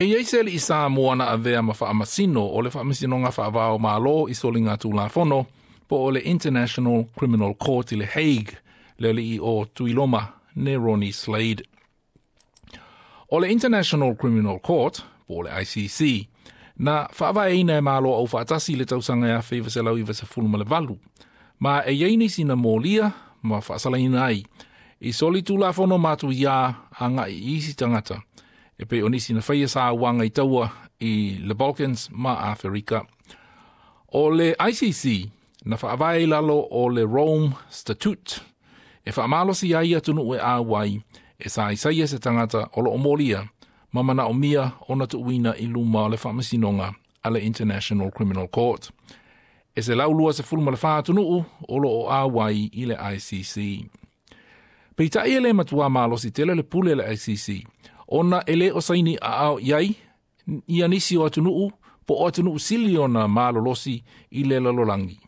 E i ai se alii Samoa na avea ma faamasino o le Faamasinoga Faava o Malo i Soligatulafono po o le International Criminal Court i le Hague, le alii o Tuiloma Neroni Slade. O le International Criminal Court, po o le ICC, na faavaeina e Malo Aufaatasi i le tausaga e 1998, ma e i ai nisi na molia ma faasalaina ai i solitulafono matuiā agai i isi tagata, e pei o nisi na faia sauaga i taua i le Balkans ma Aferika. O le ICC na faavae i lalo o le Rome Statute e faamalosi ai atunuu e auai e saisaia se tagata o loo molia ma manaomia ona tuuina i luma o le faamasinoga a le International Criminal Court. E 124 atunuu o loo auai i le ICC. Peitai e le matua malosi tele le pule le ICC, ona e le o saini aao i ai ia nisi o atunuu po o atunuu sili ona malolosi i le lalolagi.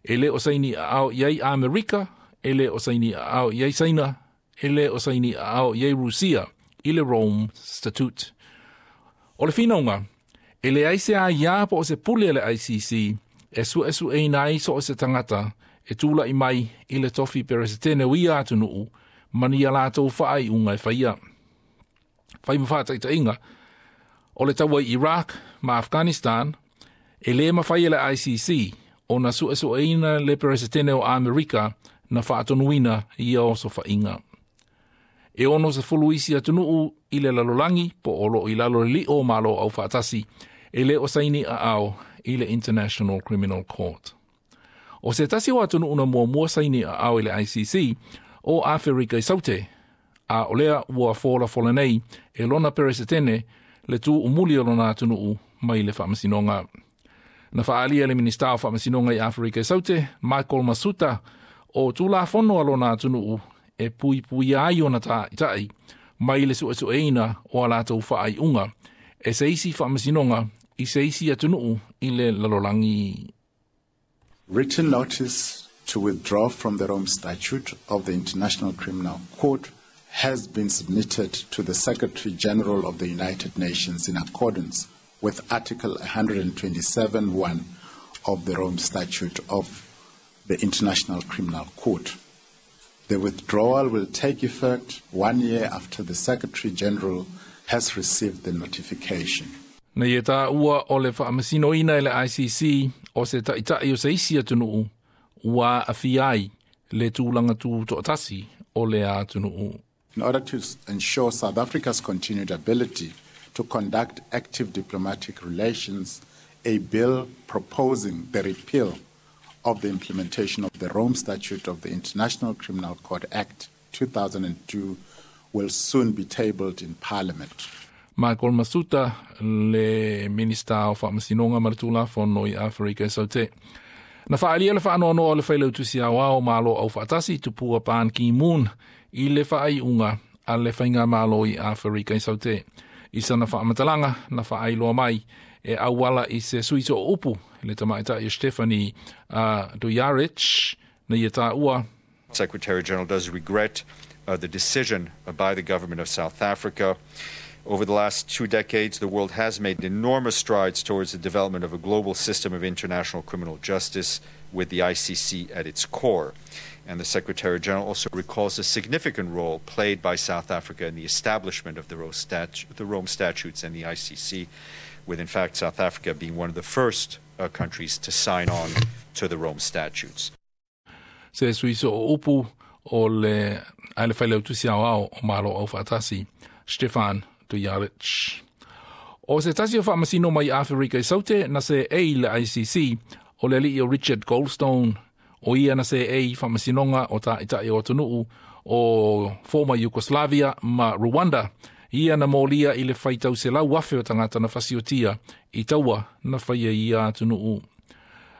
E le o saini aao i ai Amerika, e le o saini aao i ai Saina, e le o saini aao i ai Rusia i le Rome Statute. O le finauga, e leai se aiā po o se pule a le ICC e suesueina ai so o se tagata e tula'i mai i le tofi peresetene o ia atunuu ma ni a latou faaiuga e faia. Fai ma faataitaiga, o le taua i Iraq ma Afghanistan, e lē mafai e le ICC ona suesueina le peresetene o Amerika na faatonuina ia osofaiga. E 60 isi atunuu i le lalolagi po o loo i lalo le lio o Malo Aufaatasi e le o saini aao i le International Criminal Court. O se tasi o atunuu na muamua saini aao i le ICC o Aferika i Saute, a o lea ua folafola nei e lona peresetene le tuumuli o lona atunuu mai le faamasinoga. Na faaalia le Minista o Faamasinoga i Aferika i Saute, Michael Masutha, o tulafono a lona atunuu e puipuia ai ona taitai mai le suesueina o a latou faaiuga e se isi faamasinoga i se isi atunuu i le lalolagi. Written notice to withdraw from the Rome Statute of the International Criminal Court has been submitted to the Secretary General of the United Nations in accordance with Article 127.1 of the Rome Statute of the International Criminal Court. The withdrawal will take effect 1 year after the Secretary General has received the notification. Na ia taua o le faamasinoina e le ICC o se taitai o se isi atunuu ua aafia ai le tulaga tutoatasi o le atunuu. In order to ensure South Africa's continued ability to conduct active diplomatic relations, a bill proposing the repeal of the implementation of the Rome Statute of the International Criminal Court Act 2002 will soon be tabled in Parliament. Michael Masutha, le Minista o Faamasinoga ma le Tulafono i Aferika i Saute. Na faaalia le faanoanoa o le Failautusi Aoao o Malo Aufaatasi Tupua Ban Ki-moon i le faaiuga a le Faigamalo i Aferika i Saute. I sana faamatalaga na faailoa mai e auala i se sui sooupu le tamaitai o Stephanie Dujarric na ia taua. Secretary General does regret the decision by the government of South Africa. Over the last 2 decades, the world has made enormous strides towards the development of a global system of international criminal justice with the ICC at its core. And the Secretary General also recalls the significant role played by South Africa in the establishment of the Rome Statutes and the ICC, with in fact South Africa being one of the first countries to sign on to the Rome Statutes. Se sui sooupu o le a le Failautusi Aoao o Malo Aufaatasi, Stefan Dujarric. O se tasi o faamasino mai Aferika i Saute na seei i le ICC o le alii o Richard Goldstone, o ia na seei i faamasinoga o taitai o atunuu o former Yugoslavia ma Rwanda, ia na molia i le faitau 100,000 o tagata na fasiotia i taua na faia i ia atunuu.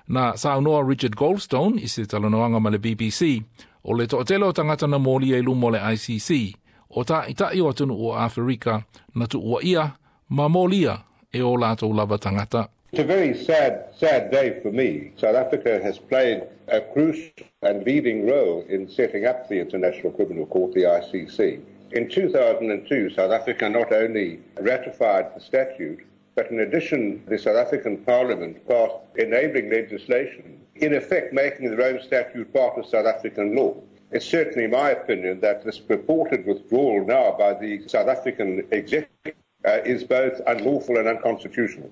Na saunoa Richard Goldstone i se talanoaga ma le BBC, o le toatele o tagata na molia i luma o le ICC, o taitai o atunuu o Aferika na tuuaia ma molia e o latou lava tagata. It's a very sad, sad day for me. South Africa has played a crucial and leading role in setting up the International Criminal Court, the ICC. In 2002, South Africa not only ratified the statute, but in addition, the South African Parliament passed enabling legislation, in effect making the Rome Statute part of South African law. It's certainly my opinion that this purported withdrawal now by the South African executive is both unlawful and unconstitutional.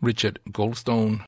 Richard Goldstone.